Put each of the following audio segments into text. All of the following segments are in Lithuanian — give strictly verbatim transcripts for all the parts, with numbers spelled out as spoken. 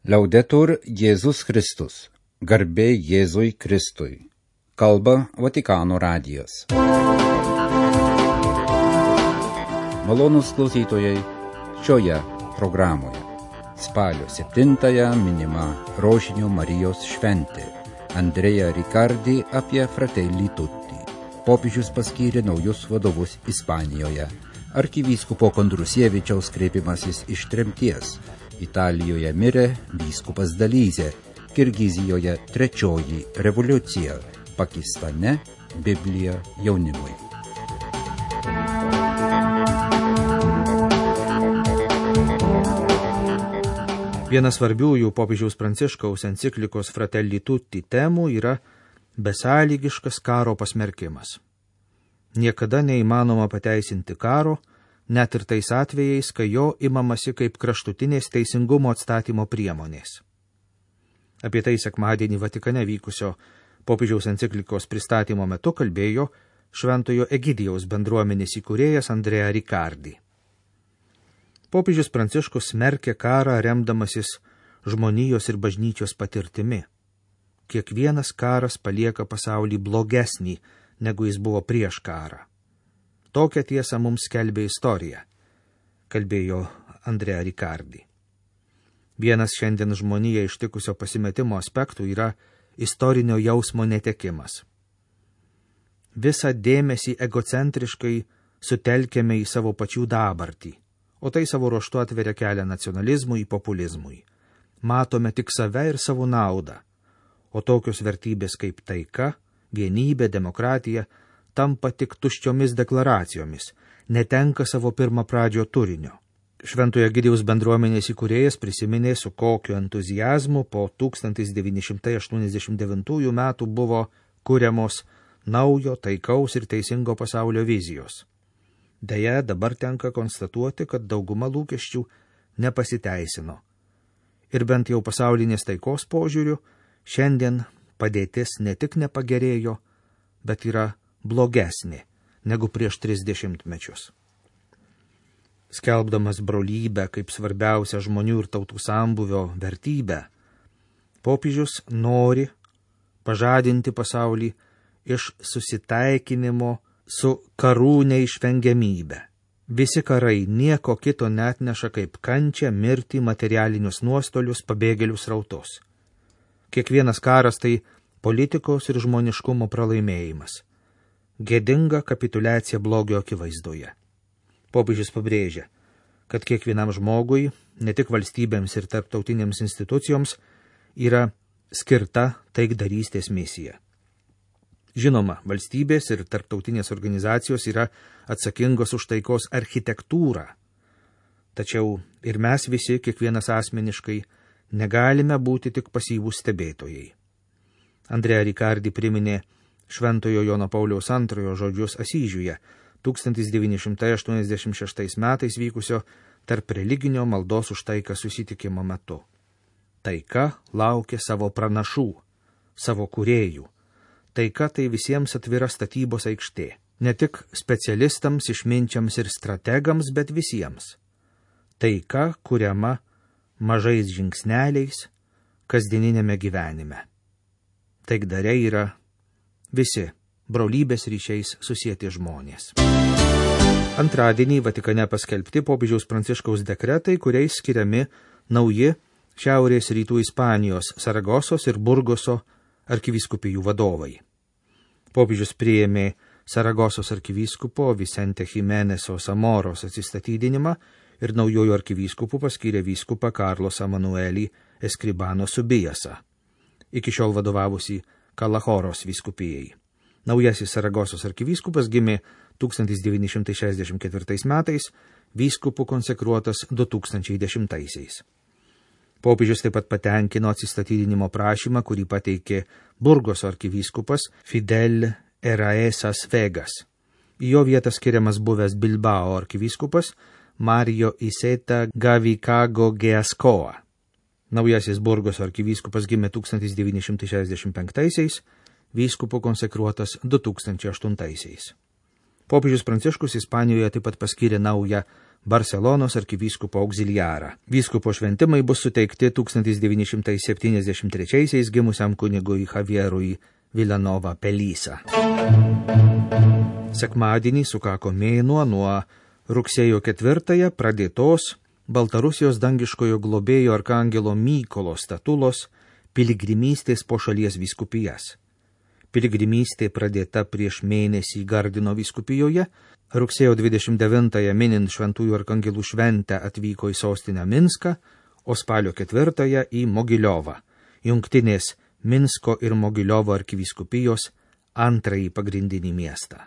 Laudetur Jėzus Kristus. Garbė Jėzui Kristui. Kalba Vatikano radijas. Malonūs klausytojai, šioje programoje spalio septintąją minima Rožinio Marijos šventė. Andrea Riccardi apie Fratelli Tutti. Popiežius paskyrė naujus vadovus Ispanijoje. Arkivyskupo Kondrusievičiaus kreipimasis iš tremties. Italijoje mirė vyskupas Dalyzė, Kirgizijoje trečioji revoliucija, Pakistane Biblija jaunimui. Vienas svarbiųjų popiežiaus Pranciškaus enciklikos Fratelli Tutti temų yra besąlygiškas karo pasmerkimas. Niekada neįmanoma pateisinti karo, net ir tais atvejais, kai jo imamasi kaip kraštutinės teisingumo atstatymo priemonės. Apie tai sekmadienį Vatikane vykusio popiežiaus enciklikos pristatymo metu kalbėjo Šventojo Egidijaus bendruomenės įkūrėjas Andrea Riccardi. Popiežius Pranciškus smerkė karą remdamasis žmonijos ir bažnyčios patirtimi. Kiekvienas karas palieka pasaulį blogesnį, negu jis buvo prieš karą. Tokią tiesą mums skelbė istorija, kalbėjo Andrea Riccardi. Vienas šiandien žmoniją ištikusio pasimetimo aspektų yra istorinio jausmo netekimas. Visą dėmesį egocentriškai sutelkėme į savo pačių dabartį, o tai savo ruožtu atveria kelią nacionalizmui, populizmui. Matome tik save ir savo naudą, o tokios vertybės kaip taika, vienybė, demokratija tampa tik tuščiomis deklaracijomis, netenka savo pirmapradžio turinio. Šventojo Egidijaus bendruomenės įkūrėjas prisiminė, su kokiu entuziazmu po tūkstantis devyni šimtai aštuoniasdešimt devintųjų metų buvo kuriamos naujo, taikaus ir teisingo pasaulio vizijos. Deja, dabar tenka konstatuoti, kad dauguma lūkesčių nepasiteisino. Ir bent jau pasaulinės taikos požiūriu, šiandien padėtis ne tik nepagerėjo, bet yra blogesnė negu prieš tris dešimtmečius. Skelbdamas brolybę kaip svarbiausią žmonių ir tautų sambūvio vertybę, popiežius nori pažadinti pasaulį iš susitaikinimo su karų neišvengiamybe. Visi karai nieko kito neatneša kaip kančią, mirtį, materialinius nuostolius, pabėgėlių srautus. Kiekvienas karas tai politikos ir žmoniškumo pralaimėjimas. Gėdinga kapituliacija blogio akivaizdoje. Popiežius pabrėžia, kad kiekvienam žmogui, ne tik valstybėms ir tarptautinėms institucijoms, yra skirta taikdarystės misija. Žinoma, valstybės ir tarptautinės organizacijos yra atsakingos už taikos architektūrą. Tačiau ir mes visi, kiekvienas asmeniškai, negalime būti tik pasyvūs stebėtojai. Andrea Riccardi priminė Šventojo Jono Pauliaus antrojo žodžius Asyžiuje, tūkstantis devyni šimtai aštuoniasdešimt šeštais metais vykusio tarp religinio maldos už taiką susitikimo metu. Taika laukia savo pranašų, savo kūrėjų. Taika tai visiems atvira statybos aikštė. Ne tik specialistams, išminčiams ir strategams, bet visiems. Taika kuriama mažais žingsneliais kasdieninėme gyvenime. Taikdariai yra visi brolybės ryšiais susieti žmonės. Antradienį Vatikane paskelbti popiežiaus Pranciškaus dekretai, kuriais skiriami nauji šiaurės rytų Ispanijos, Saragosos ir Burgoso arkivyskupijų vadovai. Popiežius priėmė Saragosos arkivyskupo Vicente Jimeneso Samoros atsistatydinimą ir naujojų arkivyskupų paskyrė vyskupą Carlos Emanuelį Escribano Subijasą, iki šiol vadovavusi Kalahoros vyskupijai. Naujasis Saragosos arkivyskupas gimė tūkstantis devyni šimtai šešiasdešimt ketvirtais metais, vyskupų konsekruotas du tūkstančiai dešimtaisiais. Popiežius taip pat patenkino atsistatydinimo prašymą, kurį pateikė Burgoso arkivyskupas Fidel Eraesas Vegas. Į jo vietą skiriamas buvęs Bilbao arkivyskupas Mario Iseta Gavikago Geascoa. Naujasis Burgoso arkivyskupas gimė tūkstantis devyni šimtai šešiasdešimt penktaisiais, vyskupų konsekruotas du tūkstančiai aštuntaisiais. Popiežius Pranciškus Ispanijoje taip pat paskyrė naują Barselonos arkivyskupo auxiliarą. Vyskupo šventimai bus suteikti tūkstantis devyni šimtai septyniasdešimt trečiaisiais gimusiam kunigui Javierui Vilanova Pelisa. Sekmadienį sukako mėnuo nuo rugsėjo ketvirtąją pradėtos Baltarusijos dangiškojo globėjo arkangelo Mykolo statulos piligrimystės po šalies vyskupijas. Piligrimystė pradėta prieš mėnesį Gardino vyskupijoje, rugsėjo dvidešimt devintąją minint šventųjų arkangelų šventę atvyko į sostinę Minską, o spalio ketvirtąją į Mogiliovą, jungtinės Minsko ir Mogiliovo arkivyskupijos antrąjį pagrindinį miestą.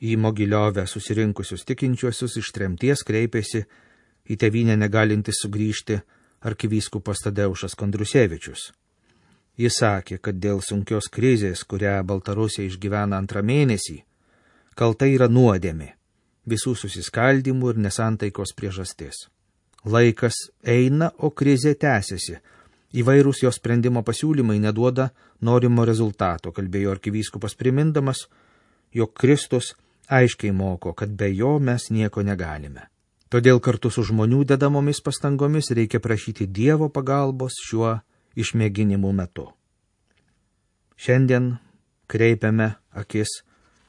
Į Mogiliovę susirinkusius tikinčiuosius iš tremties kreipėsi į tėvynę negalintis sugrįžti arkivyskupas Tadeušas Kondrusevičius. Jis sakė, kad dėl sunkios krizės, kurią Baltarusija išgyvena antrą mėnesį, kalta yra nuodėmė, visų susiskaldimų ir nesantaikos priežastis. Laikas eina, o krizė tęsiasi. Įvairūs jos sprendimo pasiūlymai neduoda norimo rezultato, kalbėjo arkivyskupas primindamas, jog Kristus aiškiai moko, kad be jo mes nieko negalime. Todėl kartu su žmonių dedamomis pastangomis reikia prašyti Dievo pagalbos šiuo išmėginimų metu. Šiandien kreipiame akis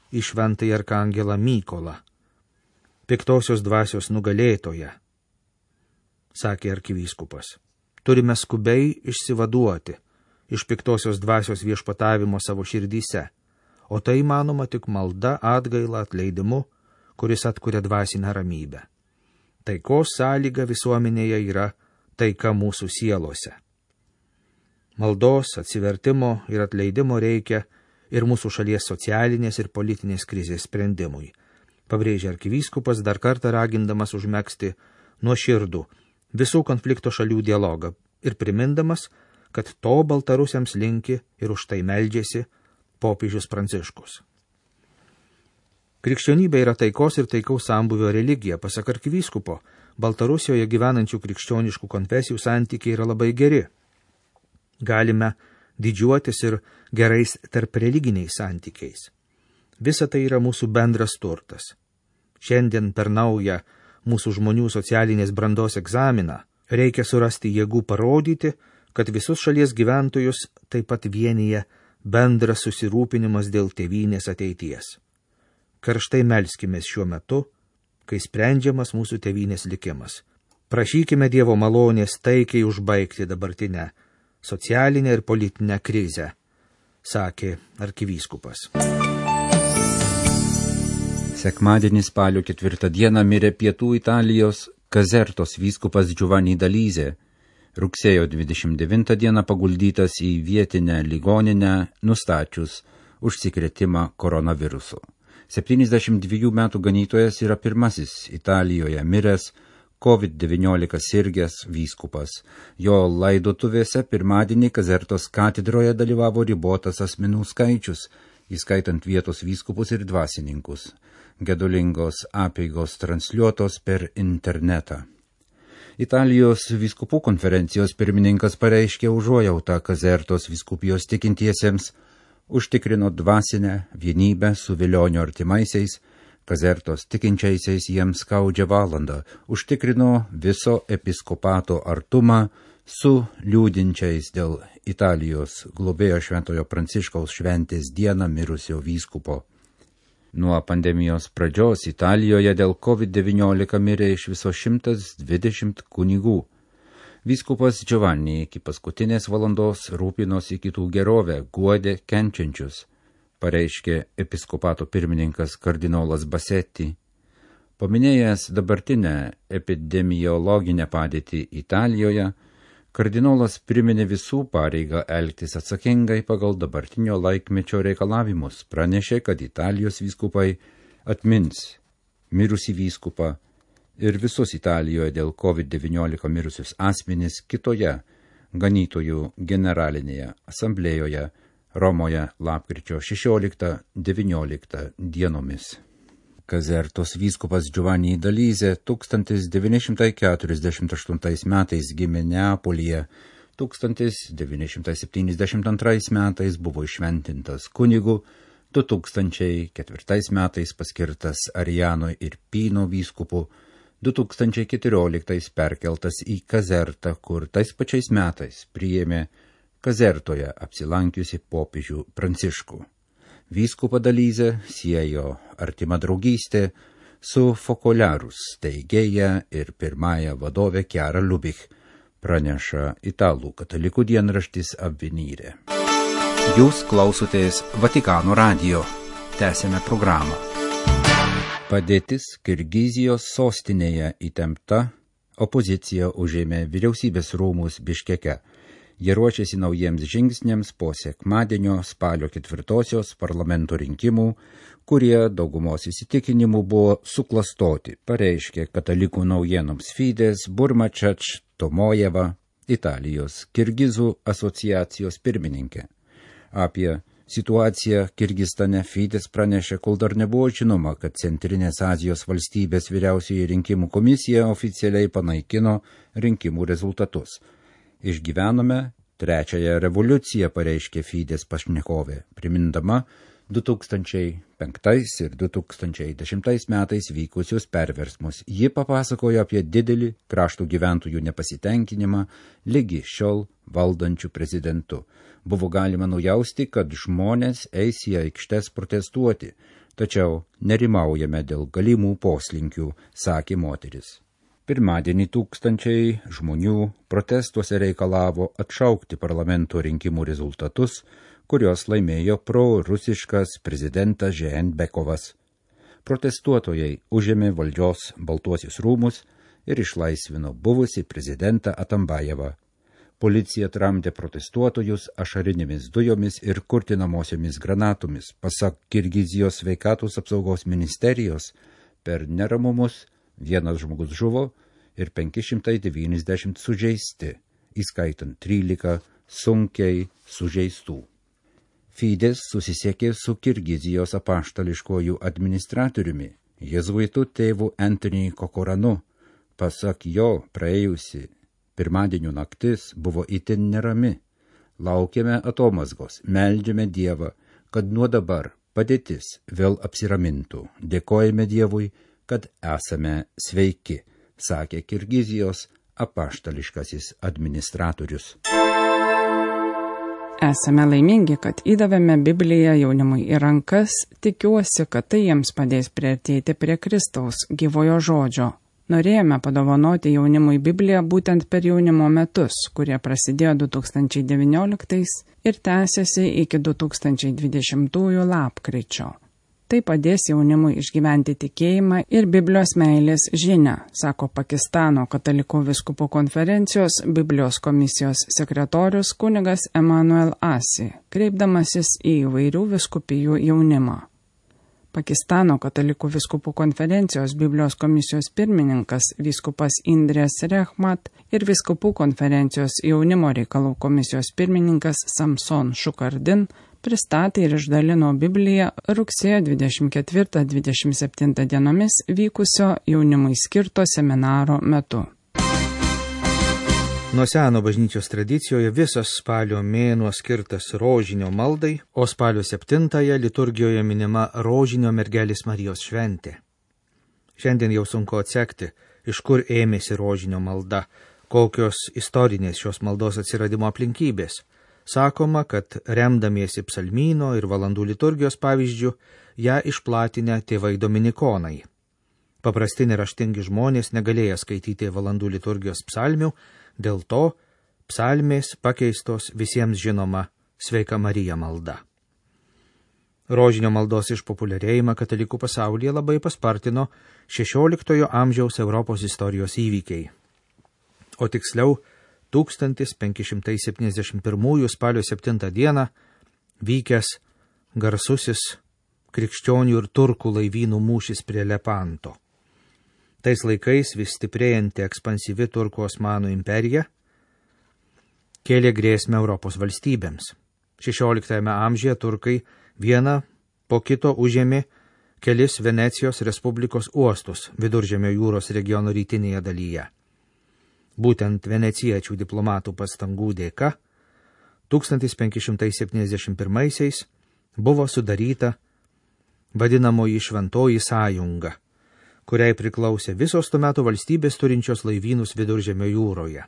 į šventąjį arkangelą Mykolą, piktosios dvasios nugalėtoją, sakė arkivyskupas. Turime skubiai išsivaduoti iš piktosios dvasios viešpatavimo savo širdyse, o tai manoma tik malda, atgaila, atleidimu, kuris atkuria dvasinę ramybę. Taikos sąlyga visuomenėje yra taika mūsų sielose. Maldos, atsivertimo ir atleidimo reikia ir mūsų šalies socialinės ir politinės krizės sprendimui, pabrėžė arkivyskupas, dar kartą ragindamas užmegzti nuoširdų visų konflikto šalių dialogą ir primindamas, kad to baltarusiams linki ir už tai meldžiasi popiežius Pranciškus. Krikščionybė yra taikos ir taikaus sambūvio religija. Pasak arkivyskupo, Baltarusijoje gyvenančių krikščioniškų konfesijų santykiai yra labai geri. Galime didžiuotis ir gerais tarp religiniais santykiais. Visa tai yra mūsų bendras turtas. Šiandien per naują mūsų žmonių socialinės brandos egzaminą reikia surasti jėgų parodyti, kad visus šalies gyventojus taip pat vienyje bendras susirūpinimas dėl tėvynės ateities. Karštai melskimės šiuo metu, kai sprendžiamas mūsų tėvynės likimas. Prašykime Dievo malonės taikiai užbaigti dabartinę socialinę ir politinę krizę, sakė arkivyskupas. Sekmadienį spalio ketvirtą dieną mirė Pietų Italijos Kazertos vyskupas Giovanni D'Alise. Rugsėjo dvidešimt devintą dieną paguldytas į vietinę ligoninę, nustačius užsikrėtimą koronavirusu. septyniasdešimt dviejų metų ganytojas yra pirmasis Italijoje miręs COVID devyniolika sirgęs vyskupas. Jo laidotuvėse pirmadienį Kazertos katedroje dalyvavo ribotas asmenų skaičius, įskaitant vietos vyskupus ir dvasininkus. Gedulingos apeigos transliuotos per internetą. Italijos vyskupų konferencijos pirmininkas pareiškė užuojautą Kazertos vyskupijos tikintiesiems, užtikrino dvasinę vienybę su Vilionio artimaisiais, Kazertos tikinčiaisiais jiems skaudžią valandą, užtikrino viso episkopato artumą su liūdinčiais dėl Italijos globėjo šventojo Pranciškaus šventės dieną mirusio vyskupo. Nuo pandemijos pradžios Italijoje dėl COVID devyniolika mirė iš viso šimtas dvidešimt kunigų. Vyskupas Giovanni iki paskutinės valandos rūpinosi kitų gerovę, guodė kenčiančius, pareiškė episkopato pirmininkas kardinolas Bassetti. Paminėjęs dabartinę epidemiologinę padėtį Italijoje, kardinolas priminė visų pareigą elgtis atsakingai pagal dabartinio laikmečio reikalavimus, pranešė, kad Italijos vyskupai atmins mirusį vyskupą ir visus Italijoje dėl COVID devyniolika mirusius asmenys kitoje ganytojų generalinėje asamblėjoje Romoje lapkričio šešioliktą devynioliktą dienomis. Kazertos vyskupas Giovanni D'Alise tūkstantis devyni šimtai keturiasdešimt aštuntais metais gimė Neapolyje, tūkstantis devyni šimtai septyniasdešimt antrais metais buvo iššventintas kunigu, du tūkstančiai ketvirtais metais paskirtas Ariano Irpino vyskupu, du tūkstančiai keturioliktais perkeltas į Kazertą, kur tais pačiais metais priėmė Kazertoje apsilankiusi popiežių Pranciškų. Vyskupą Dalyzę siejo artima draugystė su Fokolarus steigėja ir pirmąja vadovė Chiara Lubich, praneša italų katalikų dienraštis Avvenire. Jūs klausotės Vatikano radijo. Tęsėme programą. Padėtis Kirgizijos sostinėje įtempta, opozicija užėmė vyriausybės rūmus Biškeke. Jie ruošiasi naujiems žingsniams po sekmadienio spalio ketvirtosios parlamento rinkimų, kurie daugumos įsitikinimų buvo suklastoti, pareiškė katalikų naujienoms Fides Burmačač Tomojeva, Italijos Kirgizų asociacijos pirmininkė. Apie situaciją Kirgistane Fides pranešė, kol dar nebuvo žinoma, kad Centrinės Azijos valstybės vyriausioji rinkimų komisija oficialiai panaikino rinkimų rezultatus. Išgyvenome trečiąją revoliuciją, pareiškė Fides pašnekovė, primindama du tūkstančiai penktais ir du tūkstančiai dešimtais metais vykusius perversmus. Ji papasakojo apie didelį krašto gyventojų nepasitenkinimą lygi šiol valdančių prezidentų. Buvo galima nujausti, kad žmonės eis į aikštes protestuoti, tačiau nerimaujame dėl galimų poslinkių, sakė moteris. Pirmadienį tūkstančiai žmonių protestuose reikalavo atšaukti parlamento rinkimų rezultatus, kurios laimėjo pro-rusiškas prezidentas Žeenbekovas. Protestuotojai užėmė valdžios Baltuosius rūmus ir išlaisvino buvusį prezidentą Atambajevą. Policija tramdė protestuotojus ašarinėmis dujomis ir kurtinamosiomis granatomis. Pasak Kirgizijos sveikatos apsaugos ministerijos, per neramumus vienas žmogus žuvo ir penki šimtai devyniasdešimt sužeisti, įskaitant trylika sunkiai sužeistų. Fides susisiekė su Kirgizijos apaštališkojų administratoriumi, jėzuitų tėvu Anthony Kokoranu. Pasak jo, praėjusi pirmadienio naktis buvo itin nerami. Laukiame atomazgos, meldžiame Dievą, kad nuo dabar padėtis vėl apsiramintų. Dėkojame Dievui, kad esame sveiki, sakė Kirgizijos apaštališkasis administratorius. Esame laimingi, kad įdavėme Bibliją jaunimui į rankas, tikiuosi, kad tai jiems padės priartėti prie Kristaus gyvojo žodžio. Norėjome padovanoti jaunimui Bibliją būtent per jaunimo metus, kurie prasidėjo du tūkstančiai devynioliktais ir tęsiasi iki du tūkstančiai dvidešimtųjų lapkričio. Tai padės jaunimui išgyventi tikėjimą ir Biblijos meilės žinią, sako Pakistano katalikų vyskupų konferencijos Biblijos komisijos sekretorius kunigas Emanuel Asi, kreipdamasis į įvairių vyskupijų jaunimą. Pakistano katalikų vyskupų konferencijos Biblijos komisijos pirmininkas vyskupas Indrės Rehmat ir vyskupų konferencijos jaunimo reikalų komisijos pirmininkas Samson Šukardin pristatė ir išdalino Bibliją rugsėjo dvidešimt ketvirtą dvidešimt septintą dienomis vykusio jaunimui skirto seminaro metu. Nuo seno bažnyčios tradicijoje visas spalio mėnuo skirtas rožinio maldai, o spalio septintąją liturgijoje minima rožinio mergelės Marijos šventė. Šiandien jau sunku atsekti, iš kur ėmėsi rožinio malda, kokios istorinės šios maldos atsiradimo aplinkybės. Sakoma, kad remdamiesi psalmyno ir valandų liturgijos pavyzdžių, ją išplatinę tėvai dominikonai. Paprasti neraštingi žmonės negalėjo skaityti valandų liturgijos psalmių, dėl to psalmės pakeistos visiems žinoma Sveika Marija malda. Rožinio maldos išpopuliarėjimą katalikų pasaulyje labai paspartino šešioliktojo amžiaus Europos istorijos įvykiai. O tiksliau, tūkstantis penki šimtai septyniasdešimt pirmųjų spalio septintą dieną vykęs garsusis krikščionių ir turkų laivynų mūšis prie Lepanto. Tais laikais vis stiprėjanti ekspansyvi turkų Osmanų imperija kėlė grėsmę Europos valstybėms. šešioliktajame amžiuje turkai vieną po kito užėmė kelis Venecijos Respublikos uostus Viduržemio jūros regiono rytinėje dalyje. Būtent venecijiečių diplomatų pastangų dėka tūkstantis penki šimtai septyniasdešimt pirmaisiais buvo sudaryta vadinamoji Šventoji sąjunga, kuriai priklausė visos tuo metu valstybės turinčios laivynus Viduržemio jūroje.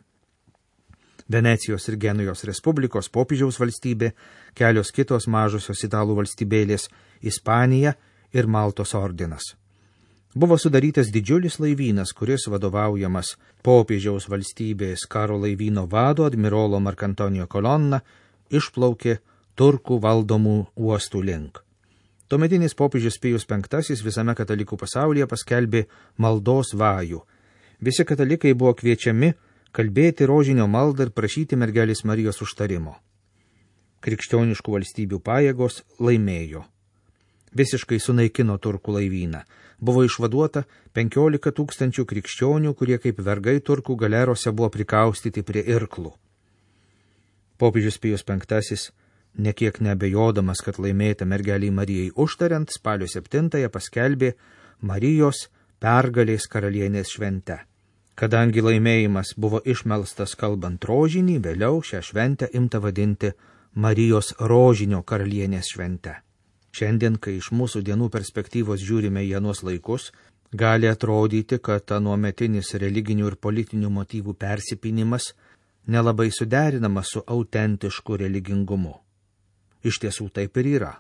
Venecijos ir Genujos Respublikos popiežiaus valstybė, kelios kitos mažosios italų valstybėlės, Ispanija ir Maltos ordinas. Buvo sudarytas didžiulis laivynas, kuris vadovaujamas popiežiaus valstybės karo laivyno vado admirolo Markantonio Kolonna išplaukė turkų valdomų uostų link. Tuometinis popiežius Pijus penktasis visame katalikų pasaulyje paskelbė maldos vajų. Visi katalikai buvo kviečiami kalbėti rožinio maldą ir prašyti mergelės Marijos užtarimo. Krikščioniškų valstybių pajėgos laimėjo. Visiškai sunaikino turkų laivyną. Buvo išvaduota penkiolika tūkstančių krikščionių, kurie kaip vergai turkų galerose buvo prikaustyti prie irklų. Popiežius Pijus penktasis, nekiek nebejodamas, kad laimėta mergeliai Marijai užtariant, spalio septintąją paskelbė Marijos pergalės karalienės šventę. Kadangi laimėjimas buvo išmelstas kalbant rožinį, vėliau šią šventę imta vadinti Marijos rožinio karalienės švente. Šiandien, kai iš mūsų dienų perspektyvos žiūrime į anuos laikus, gali atrodyti, kad anuometinis religinių ir politinių motyvų persipynimas nelabai suderinamas su autentišku religingumu. Iš tiesų taip ir yra.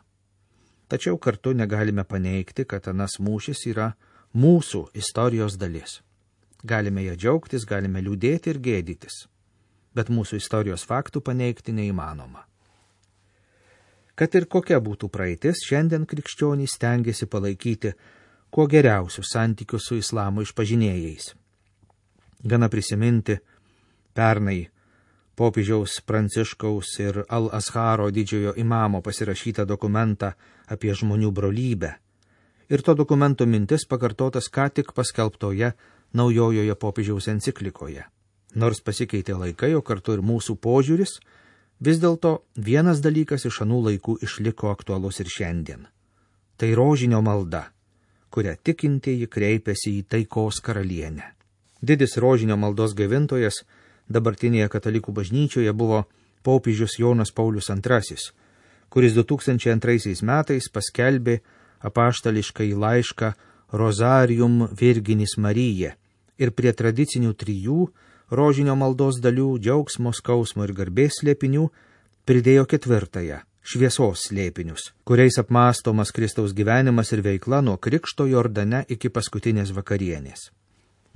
Tačiau kartu negalime paneigti, kad anas mūšis yra mūsų istorijos dalis. Galime ją džiaugtis, galime liūdėti ir gėdytis, bet mūsų istorijos faktų paneigti neįmanoma. Kad ir kokia būtų praeitis, šiandien krikščionys stengiasi palaikyti kuo geriausius santykius su islamo išpažinėjais. Gana prisiminti pernai popiežiaus Pranciškaus ir Al-Azharo didžiojo imamo pasirašytą dokumentą apie žmonių brolybę. Ir to dokumento mintis pakartotas ką tik paskelbtoje naujojoje popiežiaus enciklikoje. Nors pasikeitė laikai, o kartu ir mūsų požiūris, vis dėlto vienas dalykas iš anų laikų išliko aktualus ir šiandien. Tai rožinio malda, kurią tikintieji kreipiasi į taikos karalienę. Didis rožinio maldos gaivintojas dabartinėje katalikų bažnyčioje buvo popiežius Jonas Paulius antrasis, kuris du tūkstančiai antraisiais metais paskelbė apaštališkąjį laišką Rozarium Virginis Marija ir prie tradicinių trijų rožinio maldos dalių, džiaugsmo, skausmo ir garbės slėpinių pridėjo ketvirtąją – šviesos slėpinius, kuriais apmąstomas Kristaus gyvenimas ir veikla nuo Krikšto Jordane iki paskutinės vakarienės.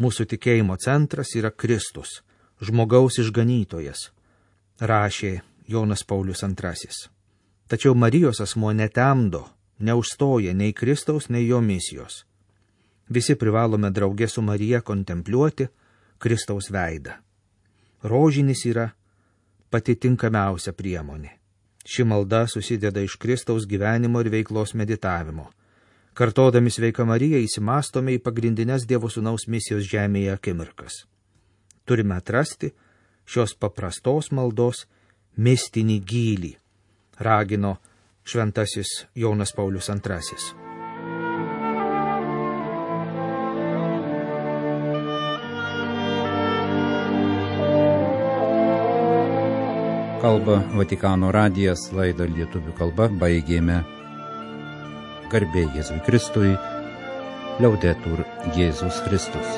Mūsų tikėjimo centras yra Kristus, žmogaus išganytojas, rašė Jonas Paulius antrasis. Tačiau Marijos asmuo netemdo, neužstoja nei Kristaus, nei jo misijos. Visi privalome drauge su Marija kontempliuoti Kristaus veidą. Rožinis yra pati tinkamiausia priemonė. Ši malda susideda iš Kristaus gyvenimo ir veiklos meditavimo. Kartodami sveiką Mariją įsimastome į pagrindinės Dievo Sūnaus misijos žemėje akimirkas. Turime atrasti šios paprastos maldos mistinį gylį, ragino šventasis Jonas Paulius antrasis. Kalba Vatikano radijas, laidą lietuvių kalba baigėme. Garbė Jėzui Kristui, liaudetur Jėzus Kristus.